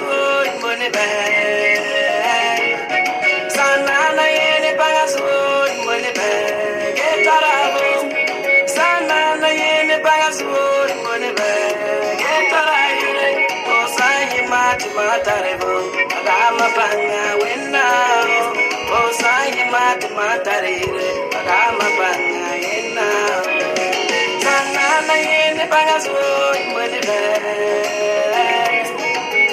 suoi mone be. Sanana yene baga suoi mone be. Getarabo. Sanana yene baga suoi mone be. Getarayure. Osayi mati matarebo. Agama banga wenna. Osayi mati matarire. Agama banga yenna. Sanana yene baga suoi mone be.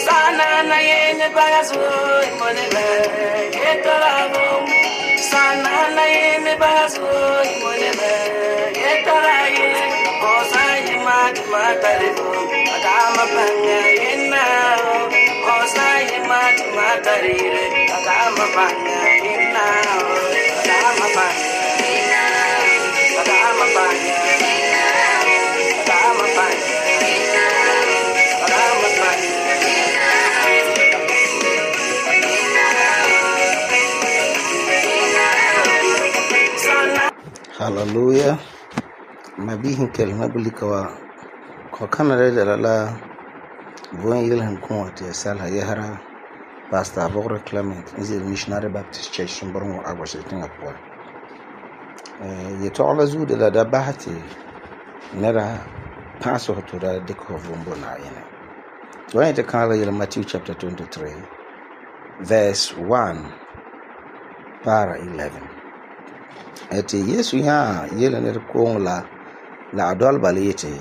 Sanana yene baga suoi mone be. Getarabo. Sanana yene baga suoi mone be. Getarayure. Osayi mati matarebo. Agama banga yenna. Osayi mati matarire. Agama banga yenna. Agama banga. Agama banga. Agama banga. Agama banga. Hallelujah. Mabihin kelma bulika wa ko kanare da la bon yilhan kun wata salha yahara Pastor Bogre Clement is a Missionary Baptist Church Sumburun Agwa Singapore. Ye tola zu de da bahati nera paso to da deko vumbo na yene. When it kala yele Matthew chapter 23 verse 1 para 11. Ete Yesu ya yele ne ko la adol balete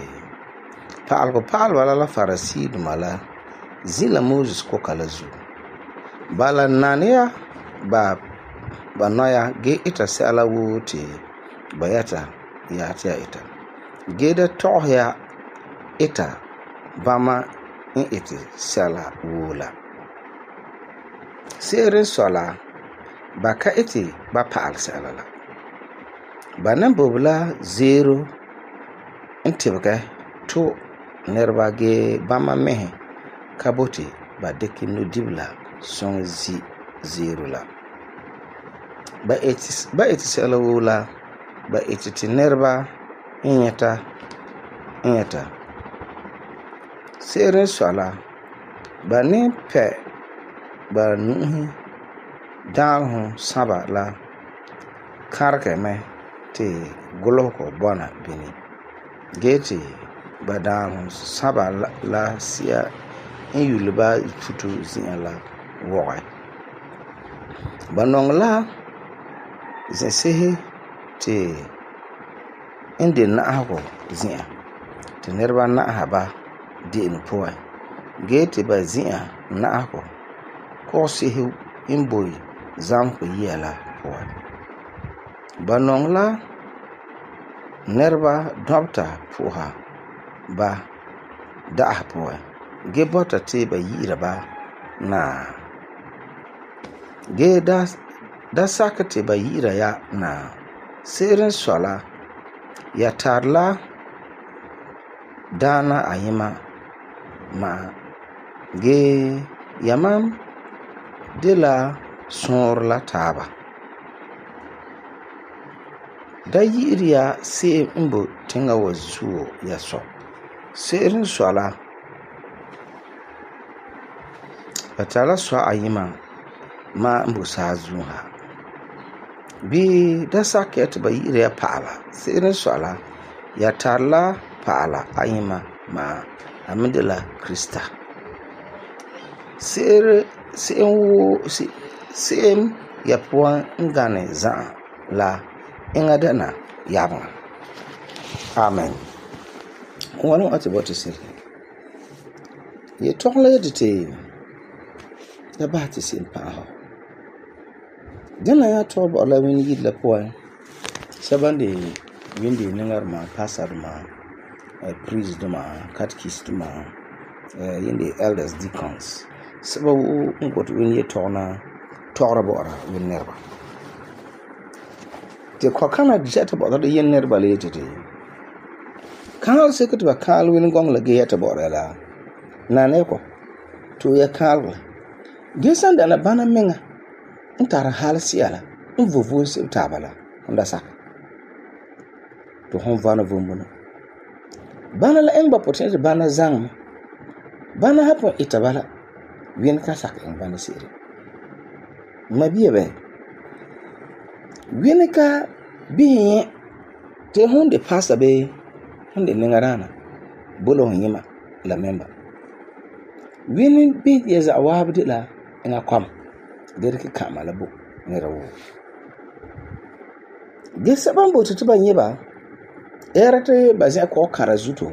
Paal wala la Farisi dumala zila Moses ko kala zu bala nania ba noya ge ita sala wuti bayata ya ta ita ge da tohya ita bama in iti sala wula serin sola ba ka iti ba paal sala la ba nan bobla zero intibga to nerba ge bama mehe kaboti ba deki no dibla son zero la ba eti sala wula ba eti tinerba inyata seren sola ba ne pe ba nuhi dalhu saba la karke me te goloko bona bini geti ba dalhu saba la sia in yulba futu zin la woga banong la zesehi te inde na hako zin te nerba na haba din poa gete ba zin na hako ko sehi imboy zamko yela poa banong la nerba doctor poha ba da poa ge bota te ba yira ba na ge da sakate ba yira ya na serin sola ya tarla dana ayima ma ge yamam de la sor la taba da yiriya se imbo tinga wazuo ya so serin sola batala so ayima ma mbusa zuha bi da saket ba yire ya paala serin sola ya tarla paala ayima ma amidela krista sem ya puan ngane za la inga dana yaba amen wani ati boti sir ye tokle dite da ba ti sin pa ho dana ya to ba la wini yid la puan sabande windi ningar ma pastor ma priest ma catechist ma yindi elders deacons sababu ngot wini ye tona tora bora win nerba te ko kana jeta bora de yen nerba le tete kal seket ba kal win gong la ge yeta bora la na ne ko to ya kal gesan da na bana menga ntara hal siala mvovo se tabala nda sak to hon vana vumbuno bana la engba potential bana zang bana hapo itabala Wien kan sak en bana se'ere. Ma biya bɛ. Wien ka biye te honde pasa be honde nengarana bolo yima la memba. Wien bi ya za waabde la nga kwam. Derke kama la bo nera wo. Ge saban bo te ba yiba era te ba zɛ ko kara zuto.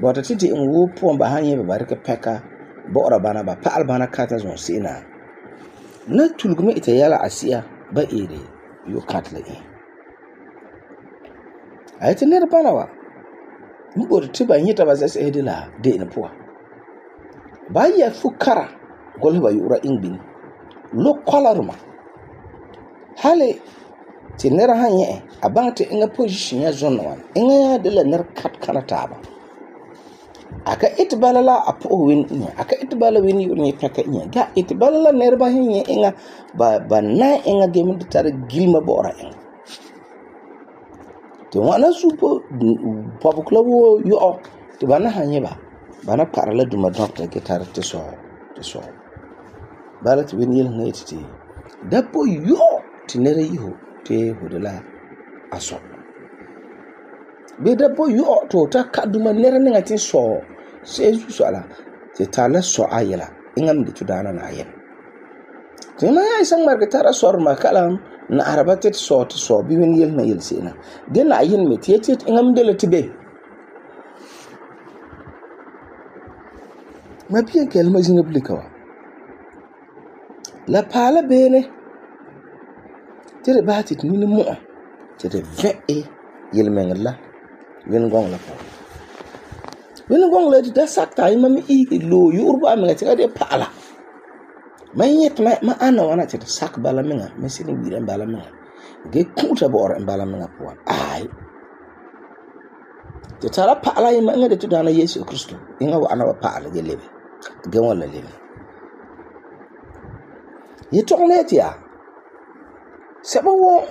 Bo te ti en wo po ba han yiba ba rike peka bo bana ba paal bana kata zon sina. Na tulgume ita yala asia ba ere yo katla e. Ayete nera bana wa. Mbo te ba yita ba zɛ de la de en po. Ba ya fukara gol ba yura ingbin. Lo kolaruma. Hale ti nera han ye abante inga position ya zon wan. Inga de la ner kat kana taba. Aka itbala la apo win inya. Aka itbala win yurni peka inya. Ga itbala la ner ba hin ye inga ba na inga game de tar gilma bora inga. Ti wana supo pabukla wo yo ti bana han ye ba. Bana parala duma doctor ke tar te so. Bala ti win yel ngait ti. Dapo yo ti nere yiho te hodela aso. Be dapo yo to ta kaduma nere ngati so seju so ala te tala so ayela ingam de tudana na ayel. Ti ma ya isang marketara sor makalam na arabate so to so bi win yel na yel sena. Den na ayen me ti ingam de le tibe. Ma bien kelma jinabulikawa. La pala bene tere batit ni mo tere ve yel mengla wen gong la po wen gong la da sakta ima mi i lo yurba mi ngati de pala ma yet ma ana wana tere sak bala menga mesini wira bala menga ge kuta bor bala menga po ai te tara pala ima ngade to dana Yesu Kristo inga wa ana wa pala ge lebe ge wala lebe yetonglet ya seba wo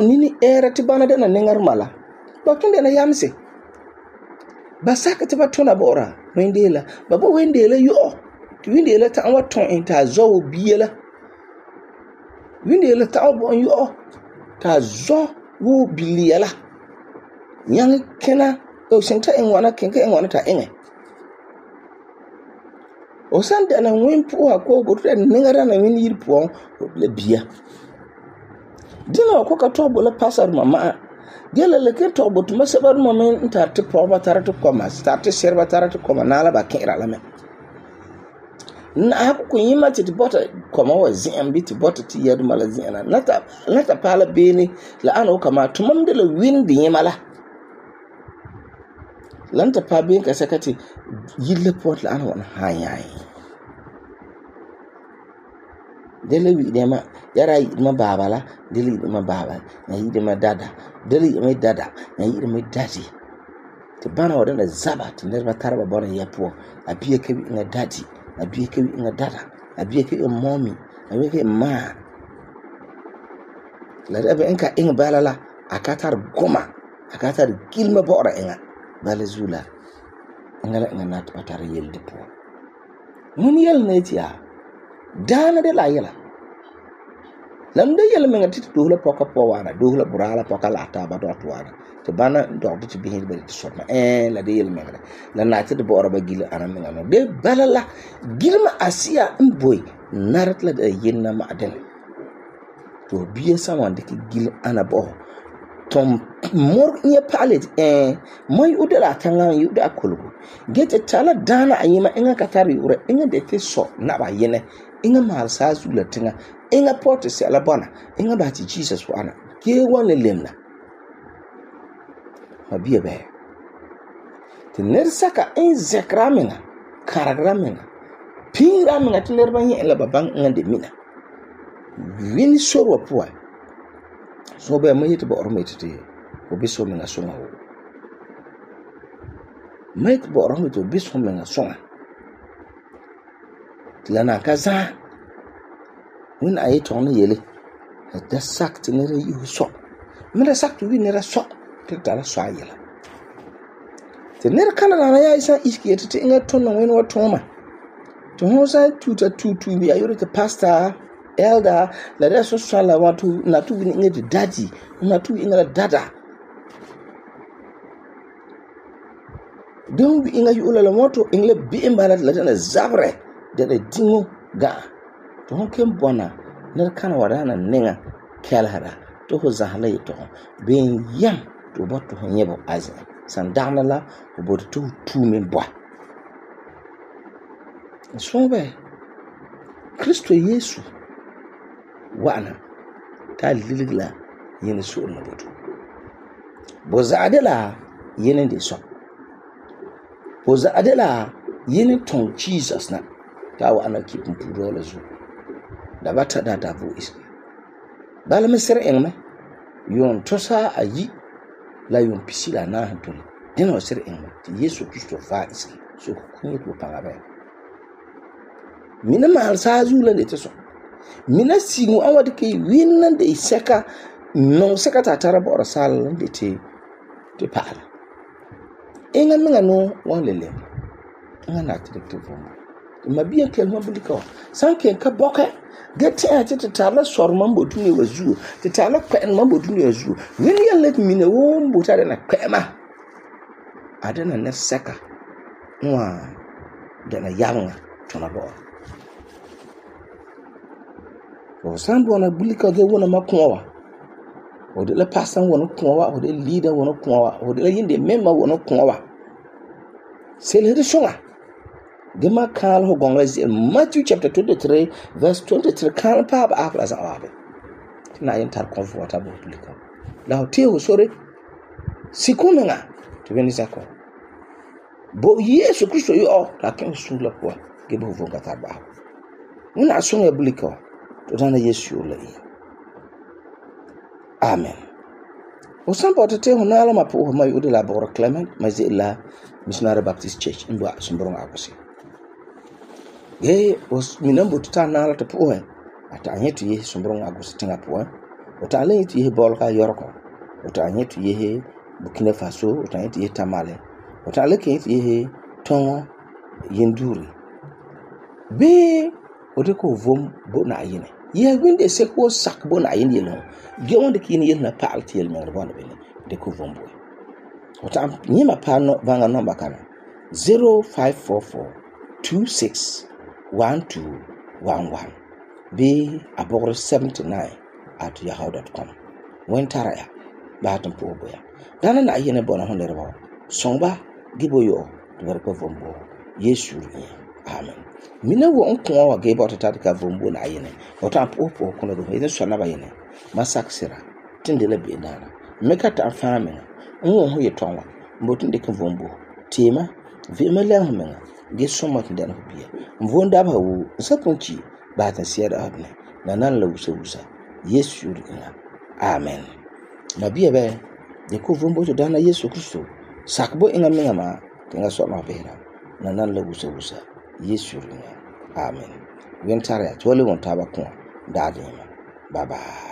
nini era ti bana dana nengar mala ba tunde na yamse ba saka ti ba tuna bora wendela ba bo wendela yo ti wendela ta wa ton ta zo biela wendela ta bo yo ta zo wo biliela yang kena o senta en wana kenka en wana ta enge o san dana wen po ko go tre nengara na wen yir po le bia dina ko ka tobo la pasar mama gele le ke tobo to masabar mama ntar te po ba tar to koma start serba tar to koma na la ba kera la me na ko yima ti bota koma wa zin bi ti bota ti yadu mala zin na nata pala beni la ano kama to mam de la win di yimala lanta pa ben ka sakati yille pot la ano wana hayai dele wi dema yara ma babala dele ma baba na yi ma dada dele ma dada na yi ma dadi te bana wadanda zaba te nerba tarba bona yapo abiye ke wi nga dadi abiye ke wi nga dada abiye ke mommy abiye ke ma la rebe enka ing balala akatar goma akatar gilma bora enga bala zula ngala nga nat patara yel depo mun yel netia dana de la yela lam de yela menga tit dohla poka powana dohla burala poka lata ba do atwana te bana do ti bihin be ti soma la de yela menga la nati de bora ba gila ana menga no de balala gilma asia mboy narat la de yenna ma adel to biye sawan de ki gil ana bo tom mor nye palet moy udala tanga yuda kolgo gete tala dana ayima inga katari ure inga de te so na ba yene inga mal sa zula tinga inga porte se la bona inga ba ti Jesus wana ke wona lemna mabiye be te ner saka in zekramenga karagramena pingramenga te ner banye la babang ngande mina wini sorwa puwa so be mayete bo ormete ko biso menga songa ho mayete bo ormete biso menga songa lana kaza win ayi ton yele da sakti ne yi so mera sakti wi ne ra so te tala so ayela te ne kana na ya isa iski te inga ton no wen wa toma to hon san tuta bi ya yore te pastor elder la da so sala wa to na to ni ngi daddy na to inga dada don wi inga yula la moto ingle bi mbala la na zabre da dingo ga to hon ken bona na kana wadana ninga kelhara to ho zahla to ben yam to boto ho nyebo azza san dana la ho boto to tumen bo so be Kristo Yesu wana ta liligla yin so na boto boza adela yin de so boza adela yin ton Jesus na ta wana kipun puro la zo da bata da voice bala mesere engme yon tosa ayi la yon pisila na hatun dina wasere engme ti Yesu Kristo fa isi so kunye ko pagabe mina mal sazu la de teso mina singu awad ke winnan de seka non seka ta tarabo sal de te pala enga minga no wan lele nga na detective ma biya kelma bulika sanke ka boka gete ati te tala sor mambo tuni wazu te tala kwen mambo tuni wazu wini ya let mine wo mbuta na kwema adana na seka nwa dana yanga tona bo o sambo na bulika ge wona makwa o de la pastor wona kwa o de leader wona kwa o de la yinde member wona kwa c'est le songa Gema kal ho gongla Matthew chapter 23 verse 23 kal pa ba afla sa abe na yin tar comfortable publika la hote ho sore sikunga to beni sako bo Yesu Kristo yo la ken sula kwa gebo ho vonga ta ba una songa publika to dana Yesu la yi amen o sampo tete ho na la mapo ho mai udela Bora Clement mazila Missionary Baptist Church in Bua Sumbrong Agosi ye os minambo tuta na la tapo ata anyetu ye Sumbrong Agosi tinga po o ta le ti ye bolka yorko o ta anyetu ye Burkina Faso o ta anyetu ye Tamale o ta le ke ye Tongo Yenduri be o de ko vom bo na yene ye winde se ko sak bo na yene yelo ge wonde kini yel na paal ti yel mer bo na bele de ko vom bo Ota nyima pano vanga number kana 0544261211 be abogre 79@yahoo.com wentara ya batum po boya dana na yene bona honere ba songba giboyo to barko vombo Yesu ni amen mina wo onko wa ge bota tadika vombo na yene ota po kono do yene so na ba yene masaksira tindele be dana mekata afamena nwo ho yetonwa mbotun de kan vombo tema vema la humenga ge soma tin dana biya mvonda ba wu sapunci ba ta siyar adne na nan la wusa Yesu ina amen na biya be de ko vombo to dana Yesu Kristo sakbo inga menga ma tinga so ma bera na nan la wusa Yesu ina amen wentare ya tole won taba ko dade ma bye bye